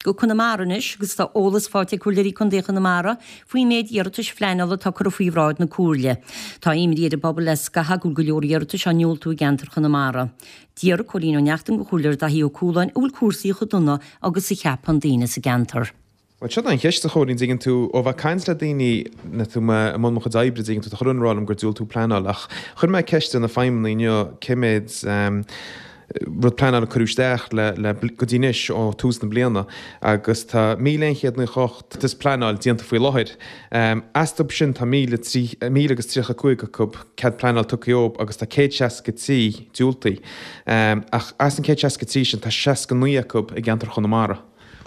Go Conamara anois agus tá eolas faighte ag Comhairleoirí Contae Chonamara faoin méid iarratais phleanála atá curtha faoi bhráid na Comhairle. Tá imní ar an bpobal le scaitheamh go bhfuil go leor iarratais á ndiúltú i gceantar Chonamara. D'fhiafraigh Cóilín Ó Neachtain de Chomhairleoir Daithí Ó Cualáin an bhfuil cúrsaí chomh dona agus a cheapann daoine sa gceantar. Bhuel, seo an cheist, a Chóilín, dtuigeann tú, ó bheith ag caint le daoine, nuair atá mé i mbun mo chuid oibre, dtuigeann tú, tá chuile dhuine ag rá liom gur diúltú pleanáil, ach chuir mé ceist ar na feidhmeannaigh inniu cé mhéad, rud pleanála a cuireadh isteach le le go dtí anois ó tús na bliana agus tá 1,198 iarratas pleanáil déanta faoi láthair. Astu sin tá 1,035 acu cead pleanáil tugtha dhóibh agus tá 163 diúltaithe. Ach as an 163 sin tá 69 acu i gceantar Chonamara.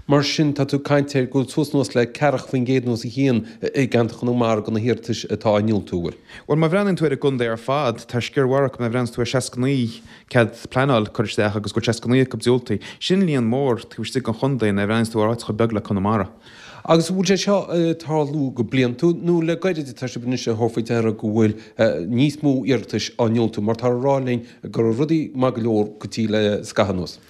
Mar sin, tá tú ag caint ar go bhfuil suas anuas le ceathracha faoin gcéad nó os a chionn i gceantar Chonamara de na hiarratais atá á ndiúltú, an bhfuil? Bhuel, má bhreathnaíonn tú ar an gcontae ar fad, tá sciar mhaith acu, má bhreathnaíonn tú ar 69 cead pleanáil curtha isteach agus go bhfuil 69 acu diúltaithe, sin líon mór taobh istigh den chontae nuair a bhreathnaíonn tú ar áit chomh beag le Conamara. Agus an bhfuil sé seo ag tarlú go bliantúil nó le gairid atá sibh anois ag tabhairt faoi deara go bhfuil níos mó iarratais á ndiúltú mar tá á rá linn go raibh rudaí maith go leor go dtí le scaitheamh anuas?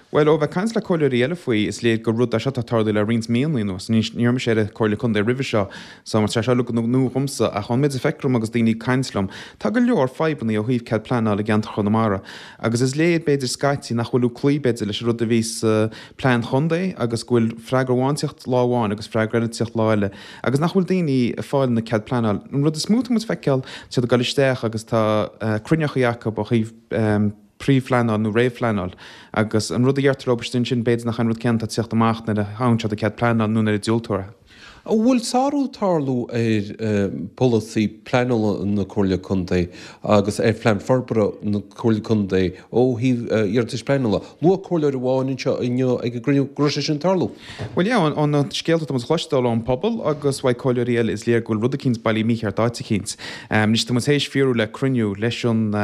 Bhuel, ó bheith ag caint le comhairleoirí eile faoi, is léir gur rud é seo atá ag tarlú le roinnt míonna anuas. Ní raibh mise ar an Comhairle Contae roimhe seo, so tá sé seo uilig nua dhomsa, ach ón méid a feictear dom agus daoine ag caint liom, tá go leor fadhbanna ó thaobh cead pleanála i gceantar Chonamara. Agus is léir, b'fhéidir, scaití, nach bhfuil tú ag cloí, b'fhéidir, leis an rud a bhí sa plean chontae agus go bhfuil freagra amháin ag tíocht lá amháin agus freagra eile ag tíocht lá eile agus nach bhfuil daoine ag fáil na cead pleanála. An rud is mó atá muid ag feiceáil, tá siad ag dul isteach agus tá cruinneachaí acu ó thaobh, príomhphleanáil nó réamhphleanáil agus an rud a dheirtear leo istigh ansin b'fhéidir nach é an rud céanna atá ag tíocht amach nuair a fhaigheann siad an cead pleanála nó nuair a diúltóir é. An bhfuil sárú ag tarlú ar pholasaí pleanála na Comhairle Contae agus ar phlean forbartha na Comhairle Contae ó thaobh iarratais pleanála? Luaigh comhairleoir amháin anseo inniu ag an gcruinniú go raibh sé sin ag tarlú. Bhuel yeah, ó na scéalta atá muid a chloisteáil ón pobal agus uaidh comhairleoirí eile is léir go bhfuil rud eicínt bailithe mícheart áit eicínt. Anois tá muid théis fiafraí le cruinniú leis an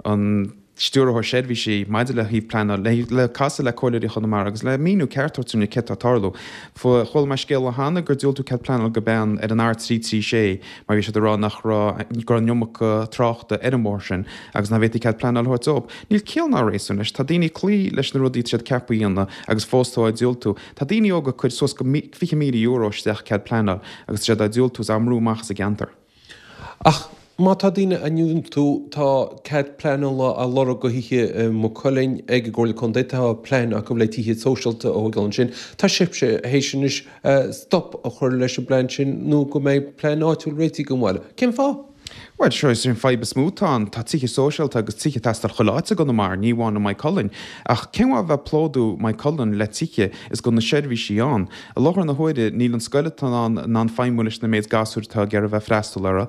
an Stiúrthóir Seirbhísí maidir le thaobh pleanáil, le casadh le Comhairleoirí Chonamara agus le míniú ceart a thabhairt dúinne céard atá ag tarlú. Chuala mé scéal cheana gur diúltú cead pleanála go bean ar an R336 mar bhí siad ag rá nach raibh, go raibh an iomarca tráchta ar an mbóthar sin agus nach bhféadfaí cead pleanála a thabhairt dóibh. Níl ciall ná réasún leis. Tá daoine ag cloí leis na rudaí atá siad ceaptha a dhéanamh agus fós tá á diúltú. Tá daoine óga ag cur suas go €20,000 isteach cead pleanáil agus tá siad á diúltú is á mbrú amach as an gceantar. Ach má tá daoine á ndiúltú, tá cead pleanála á lorg do thithe i Maigh Cuilinn ag an gComhairle Contae, tá plean acu le tithe sóisialta a thógáil ansin. Tá sibhse théis anois stop a chur leis an bplean sin nó go mbeidh plean áitiúil réitithe don bhaile. Cén fáth? Bhuel, seo is an fadhb is mó atá ann. Tá tithe sóisialta agus tithe ag teastáil chuile áit i gConamara, ní amháin i Maigh Cuilinn. Ach cén mhaith a bheith ag plódú Maigh Cuilinn le tithe is gan na seirbhísí ann? I láthair na huaire, níl an scoil atá ann in ann feidhmiú leis na méid gasúir atá ag iarraidh bheith ag freastal uirthi.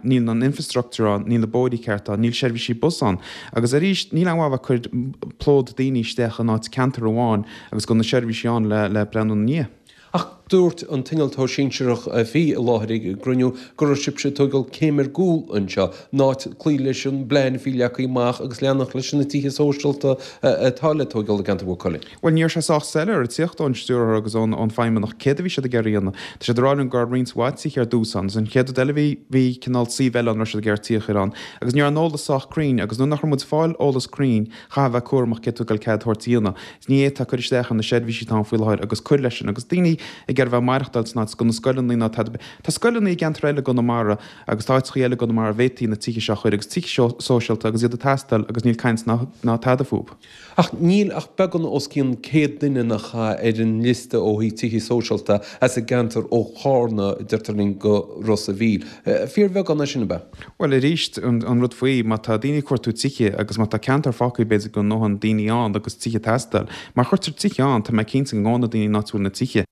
Níl an infrastructure ann, níl na bóithrí ceart ann, níl seirbhísí bus ann. Agus arís, níl aon mhaith a bheith ag cur plód daoine isteach in áit ceantar amháin agus gan na seirbhísí ann le breathnú ina ndiaidh. Ach dúirt an t-innealtóir sinsearach a bhí i láthair ag an gcruinniú go raibh sibhse ag tógáil céim ar gcúl anseo, in áit cloí leis an bplean a bhí leagtha amach agus leanacht leis na tithe sóisialta atá le tógáil i gceantar Mhaigh Cuilinn. Bhuel, ní raibh sé sách soiléir ag tíocht ón stiúrthóir agus ón feidhmeannach céard a bhí siad ag iarraidh a dhéanamh. Tá siad ag rá linn go raibh roinnt mhaith tithe ar dtús ann, agus an chéad rud eile bhí, bhí cineál suíomh eile ann a raibh siad ag iarraidh tithe a chur ann. Agus ní raibh an eolas sách cruinn, agus nuair nach raibh muid ag fáil eolas cruinn, chaithfeá a bheith cúramach céard tú ag dul cead a thabhairt a dhéanamh. Ní fhéadfá cur isteach ar na seirbhísí atá ann faoi láthair agus cur leis sin. Agus daoine ag iarraidh bheith ag maireachtáil san áit, is gan na scoileanna ná tada. Tá scoileanna i gceantair eile i gConamara agus tá áiteachaí eile i gConamara a bhféadfaí na tithe seo a chur agus tithe sóisialta agus iad ag teastáil agus níl caint ná tada fúb. Ach níl ach beagán os cionn 100 duine nach ea ar an liosta ó thaobh tithe sóisialta as an gceantar ó Chárna, deirtear linn, go Ros a' Mhíl. Fíorbheagán é sin, ab ea? Bhuel, arís, an rud faoi, má tá daoine ag cuartú tithe agus má tá ceantar fágtha b'fhéidir gan a ndóthain daoine ann agus tithe ag teastáil, má chuirtear tithe ann, tá mé cinnte go ngabhann na daoine in áit a bhfuil na tithe.